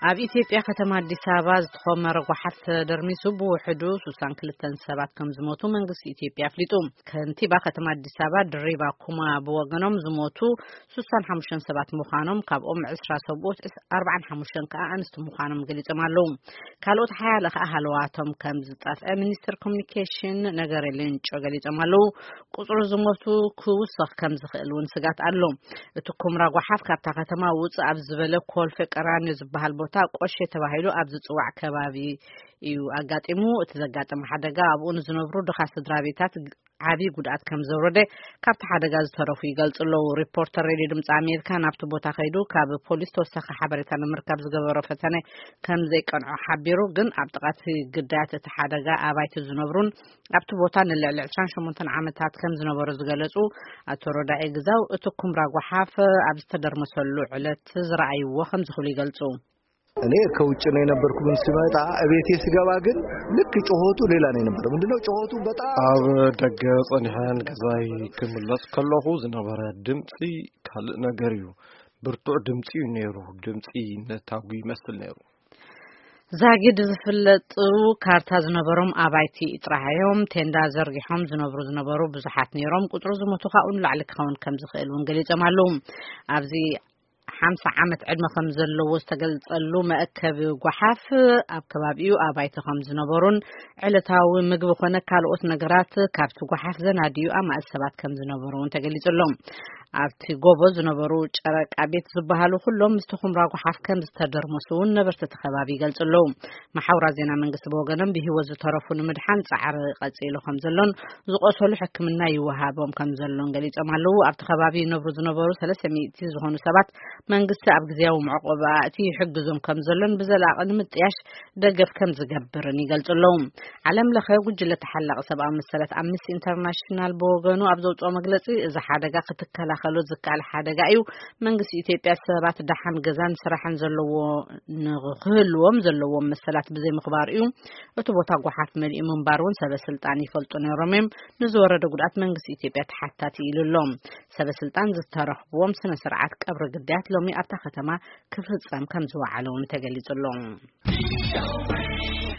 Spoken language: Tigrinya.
ኣብ ኢትዮጵያ ከተማ ኣዲስ ኣበባ ዝተኾመረ ጓሓፍ ተደርሚሱ ብውሕዱ ስሳን ክልተን ሰባት ከም ዝሞቱ መንግስቲ ኢትዮጵያ ኣፍሊጡ። ከንቲባ ከተማ ኣዲስ ኣበባ ድሪባ ኩማ ብወገኖም ዝሞቱ ስሳን ሓሙሽተን ሰባት ምዃኖም፣ ካብኦም ዕስራ ሰብኡት፣ ዕስ-፣ ኣርባዓን ሓሙሽተን ከኣ ኣንስቲ ምዃኖም ገሊጾም ኣለዉ። ካልኦት ሓያለ ከኣ ሃለዋቶም ከም ዝጠፍአ ሚኒስትር ኮሚኒኬሽን ነገሪ ሌንጮ ገሊጾም ኣለዉ። ቁጽሪ ዝሞቱ ክውሰኽ ከም ዝኽእል እውን ስጋት ኣሎ። እቲ ኩምራ ጓሓፍ ካብታ ከተማ ውጽእ ኣብ ዝበለ ኮልፌ ቀራኒዮ ዝበሃል ቦታ ቆሼ ተባሂሉ ኣብ ዝጽዋዕ ከባቢ እዩ ኣጋጢሙ። እቲ ዘጋጠመ ሓደጋ ኣብኡ ንዝነብሩ ድኻ ስድራ ቤታት ዓቢ ጉድኣት ከም ዘውረደ ካብቲ ሓደጋ ዝተረፉ ይገልጹ ኣለዉ። ሪፖርተር ሬድዮ ድምጺ ኣሜሪካ ናብቲ ቦታ ከይዱ ካብ ፖሊስ ተወሳኺ ሓበሬታ ንምርካብ ዝገበሮ ፈተነ ከም ዘይቀንዖ ሓቢሩ። ግን ኣብ ጥቓ እቲ ግዳያት እቲ ሓደጋ ኣባይቲ ዝነብሩን ኣብቲ ቦታ ንልዕሊ ዕስራን ሸሞንተን ዓመታት ከም ዝነበሩ ዝገለጹ ኣቶ ሮዳኢ ግዛው፣ እቲ ኩምራ ጓሓፍ ኣብ ዝተደርመሰሉ ዕለት ዝረኣይዎ ከም ዝኽብሉ ይገልጹ። እኔ ከውጭ ነው የነበርኩ፣ ግን ስመጣ እቤቴ ስገባ ግን ልክ ጩኸቱ ሌላ ነው የነበረው። ምንድነው ጩኸቱ? በጣም ኣብ ደገ ጸኒሐን ገዛይ ክምለስ ከለኹ ዝነበረ ድምፂ ካልእ ነገር እዩ። ብርቱዕ ድምፂ እዩ ነይሩ። ድምፂ ነታጒ ይመስል ነይሩ። ዛጊድ ዝፍለጡ ካርታ ዝነበሮም ኣባይቲ ጥራሕ እዮም። ቴንዳ ዘርጊሖም ዝነብሩ ዝነበሩ ብዙሓት ነይሮም። ቁፅሩ ዝሞቱ ካብኡ ንላዕሊ ክኸውን ከም ዝኽእል እውን ገሊጾም ኣለዉ። ኣብዚ ሓምሳ ዓመት ዕድመ ከም ዘለዎ ዝተገልጸሉ መእከቢ ጓሓፍ ኣብ ከባቢኡ ኣባይቲ ከም ዝነበሩን ዕለታዊ ምግቢ ኮነ ካልኦት ነገራት ካብቲ ጓሓፍ ዘናድዩ ኣማእት ሰባት ከም ዝነበሩ እውን ተገሊጹ ኣሎ። ኣብቲ ጎቦ ዝነበሩ ጨረቃ ቤት ዝበሃሉ ኩሎም ምስቲ ኩምራ ጓሓፍ ከም ዝተደርመሱ እውን ነበርቲ እቲ ከባቢ ይገልጹ ኣለዉ። መሓውራት ዜና መንግስቲ ብወገኖም ብህይወት ዝተረፉ ንምድሓን ጻዕሪ ቀጺሉ ከም ዘሎን ዝቆሰሉ ሕክምና ይወሃቦም ከም ዘሎን ገሊጾም ኣለዉ። ኣብቲ ከባቢ ይነብሩ ዝነበሩ ሰለስተ ሚእቲ ዝኾኑ ሰባት መንግስቲ ኣብ ግዜያዊ መዕቆቢ ኣእትዩ ይሕግዞም ከም ዘሎን ብዘላቒ ንምጥያሽ ደገፍ ከም ዝገብርን ይገልጹ ኣለዉ። ዓለም ለኸ ጉጅለ ተሓላቒ ሰብኣዊ መሰላት ኣምነስቲ ኢንተርናሽናል ብወገኑ ኣብ ዘውጽኦ መግለጺ፣ እዚ ሓደጋ ክትከላኸሎ ዝከኣል ሓደጋ እዩ። መንግስቲ ኢትዮጵያ ሰባት ደሓን ገዛን ስራሕን ዘለዎ ንክህልዎም ዘለዎም መሰላት ብዘይምኽባር እዩ። እቲ ቦታ ጓሓፍ መሊኡ ምንባር እውን ሰበ ስልጣን ይፈልጡ ነይሮም እዮም። ንዝወረደ ጉድኣት መንግስቲ ኢትዮጵያ ተሓታቲ ኢሉ ኣሎ። ሰበ ስልጣን ዝተረኽብዎም ስነ ስርዓት ቀብሪ ግዳያት ሎሚ ኣብታ ከተማ ክፍጸም ከም ዝወዓለ እውን ተገሊጹ ኣሎ።